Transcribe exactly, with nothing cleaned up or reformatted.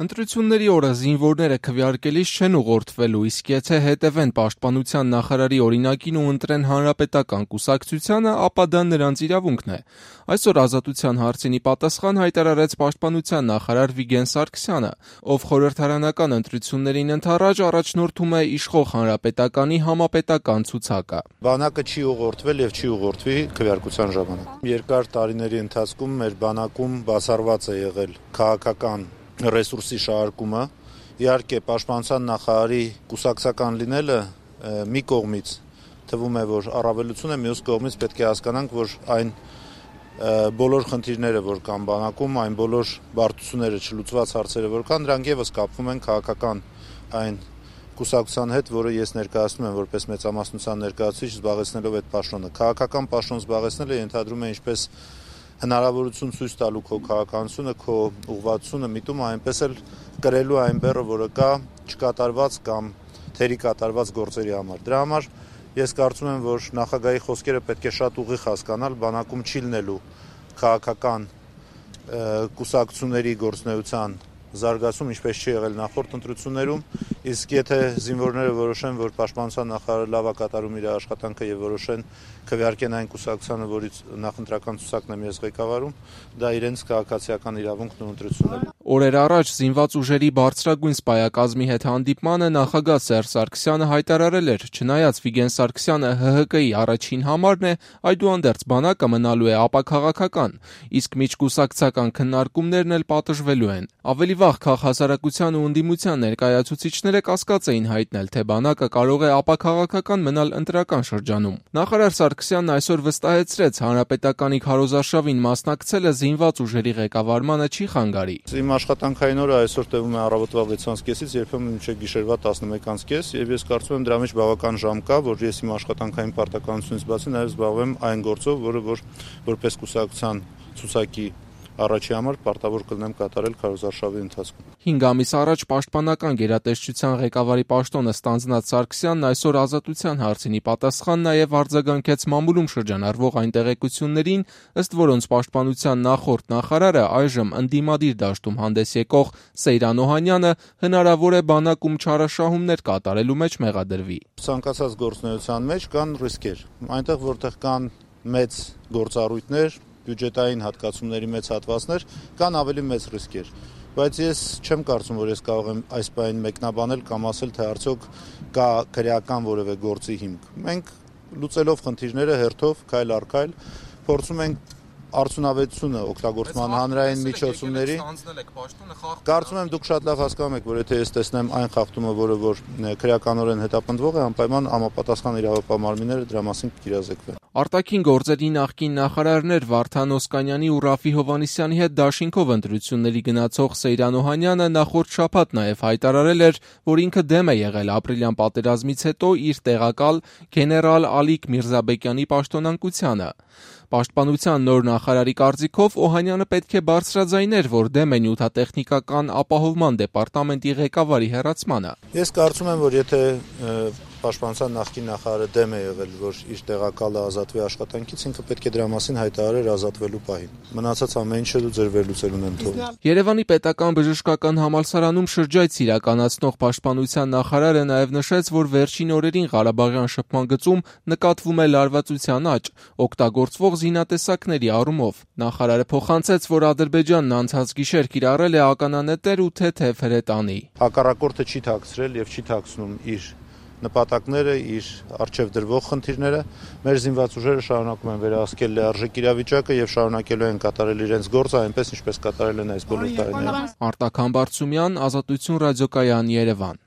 Ընտրությունների օրը զինվորները քվեարկելիս չեն ուղղորդվելու, իսկ եթե հետևեն պաշտպանության նախարարի օրինակին ու ընտրեն հանրապետական կուսակցությանը, ապա դա նրանց իրավունքն է։ Այսօր Ազատության հարցին ի պատասխան հայտարարեց պաշտպանության նախարար Վիգեն Սարգսյանը, ով խորհրդարանական ընտրություններին ընդառաջ առաջնորդում է իշխող Հանրապետականի համապետական ցուցակը։ Բանակը չի ուղղորդվել եւ չի ուղղորդվի քվեարկության ժամանակ։ Երկար տարիների ընթացքում մեր բանակում բացառված է եղել քաղաքական ռեսուրսի շահարկումը, իհարկե պաշտպանության նախարարի կուսակցական լինելը մի կողմից թվում է, որ առավելություն է, մյուս կողմից պետք է հասկանանք, որ այն բոլոր խնդիրները, որ կան բանակում, այն բոլոր բարդությունները, չլուծված հարցերը, որ կան, դրանք եւս կապվում են քաղաքական այն կուսակցության հետ, որը ես ներկայացնում եմ որպես մեծամասնության ներկայացուցիչ, զբաղեցնելով այդ պաշտոնը։ Քաղաքական պաշտոն զբաղեցնելը ենթադրում է ինչպես հնարավորություն ցույց տալու քո քաղաքականությունը, քո ուղղվածությունը միտում, այնպես էլ կրելու այն բեռը, որը կա չկատարված կամ թերի կատարված գործերի համար։ Դրա համար ես կարծում եմ, որ նախագահի խոսքերը պետք է շատ ուղիղ հասկանալ, բանակում չի լինելու քաղաքական կուսակցությունների գործունեության զարգացում, ինչպես չի եղել նախորդ ընտրություններում, իսկ եթե զինվորները որոշեն, որ պաշտպանության նախարարը լավ է կատարում իր աշխատանքը եւ որոշեն քվեարկեն այն կուսակցությանը, որից նախընտրական ցուցակն եմ ես ղեկավարում, դա իրենց քաղաքացիական իրավունքն ու ընտրությունն է։ Օրեր առաջ զինված ուժերի բարձրագույն սպայակազմի հետ հանդիպմանը նախագահ Սերժ Սարգսյանը հայտարարել էր, չնայած Վիգեն Սարգսյանը Հ Հ Կի առաջին համարն է, այդուհանդերձ բանակը մնալու է ապաքաղաքական, իսկ միջկուսակցական քննարկումներն էլ պատժվելու են։ Ավելի վաղ քաղաքասարակության ու ընդդիմության ներկայացուցիչները կասկած էին հայտնել, թե բանակը կարող է ապաքաղաքական մնալ ընտրական շրջանում։ Նախարար Սարգսյանն այսօր վստահեցրեց, հանրապետականի քարոզարշավին մասնակցելը զինված ուժերի ղեկավարմանը չի խանգարի։ Իմ աշխատանքային օրը այսօր տևում է առավոտվա վեցից կեսից, երբեմն մինչև գիշերվա տասնմեկից կես, եւ ես կարծում եմ դրա մեջ բավական ժամ կա, որ ես իմ աշխատանքային պարտականությունից բացի նաեւ զբաղվեմ այն գործով, որը որ որպես կուսակցության ցուցակի առաջի համար պարտավոր կլինեմ կատարել քարոզարշավի ընթացքում։ հինգ ամիս առաջ պաշտպանական գերատեսչության ղեկավարի պաշտոնը ստանձնած Սարգսյանն այսօր Ազատության հարցին ի պատասխան նաև արձագանքեց մամուլում շրջանառվող այն տեղեկություններին, ըստ որոնց պաշտպանության նախորդ նախարարը այժմ ընդդիմադիր դաշտում հանդես եկող Սեյրան Օհանյանը հնարավոր է բանակում չարաշահումներ կատարելու մեջ մեղադրվի։ Ցանկացած գործունեության մեջ կան ռիսկեր։ Այնտեղ որտեղ կան մեծ գործառույթներ, բյուջետային հատկացումների մեծ հատվածներ, կան ավելի մեծ ռիսկեր, բայց ես չեմ կարծում, որ ես կարող եմ այս բանին մեկնաբանել կամ ասել, թե արդյոք կա քրեական որևէ գործի հիմք։ Մենք լուծելով խնդիրները հերթով, քայլ առ քայլ, փորձում ենք արդյունավետությունը օգտագործման հանրային միջոցումների։ Կարծում եմ դուք շատ լավ հասկանում եք, որ եթե ես տեսնեմ այն խախտումը, որը որ քրեականորեն հետապնդվող է, անպայման համապատասխան իրավապահ մարմինները դրա մասին կիրազեկվեն։ Արտաքին գործերի նախկին նախարարներ Վարդան Օսկանյանի ու Ռաֆի Հովհաննիսյանի հետ դաշինքով ընտրությունների գնացող Սեյրան Օհանյանը նախորդ շաբաթ նաև հայտարարել էր, որ ինքը դեմ է եղել ապրիլյան պատերազմից հետո իր տեղակալ գեներալ Ալիկ Միրզաբեկյանի պաշտոնանկությանը։ Պաշտպանության նոր նախարարի կարծիքով Օհանյանը պետք է բարձրաձայներ, որ դեմ է նյութատեխնիկական ապահովման դեպարտամենտի ղեկավարի հեռացմանը։ Ես կարծում եմ, որ եթե պաշտպանության նախկին նախարարը դեմ է եղել, որ իր տեղակալը ազատվի աշխատանքից, ինքը պետք է դրա մասին հայտարարեր ազատվելու պահին։ Մնացած ամեն ինչը դու ձեր վերլուծելուն եմ թողնում։ Երևանի պետական բժշկական համալսարանում շրջայց իրականացնող պաշտպանության նախարարը նաև նշեց, որ վերջին օրերին Ղարաբաղյան շփման գծում նկատվում է լարվածության աճ, օգտագործվող զինատեսակների առումով։ Նախարարը փոխանցեց, որ Ադրբեջանն անցած գիշեր կիրառել է ականանետեր ու թեթև հրետանի։ Հակառակորդը չի թաքցրել եւ չի թաքցնում իր նպատակները, իր արժեվ դրվող խնդիրները, մեր զինված ուժերը շարունակում են վերահսկել լիարժեք իրավիճակը եւ շարունակելու են կատարել իրենց գործը այնպես, ինչպես կատարել են այս բոլոր տարիները։ Արտակ Համբարձումյան, Ազատություն ռադիոկայան, Երևան։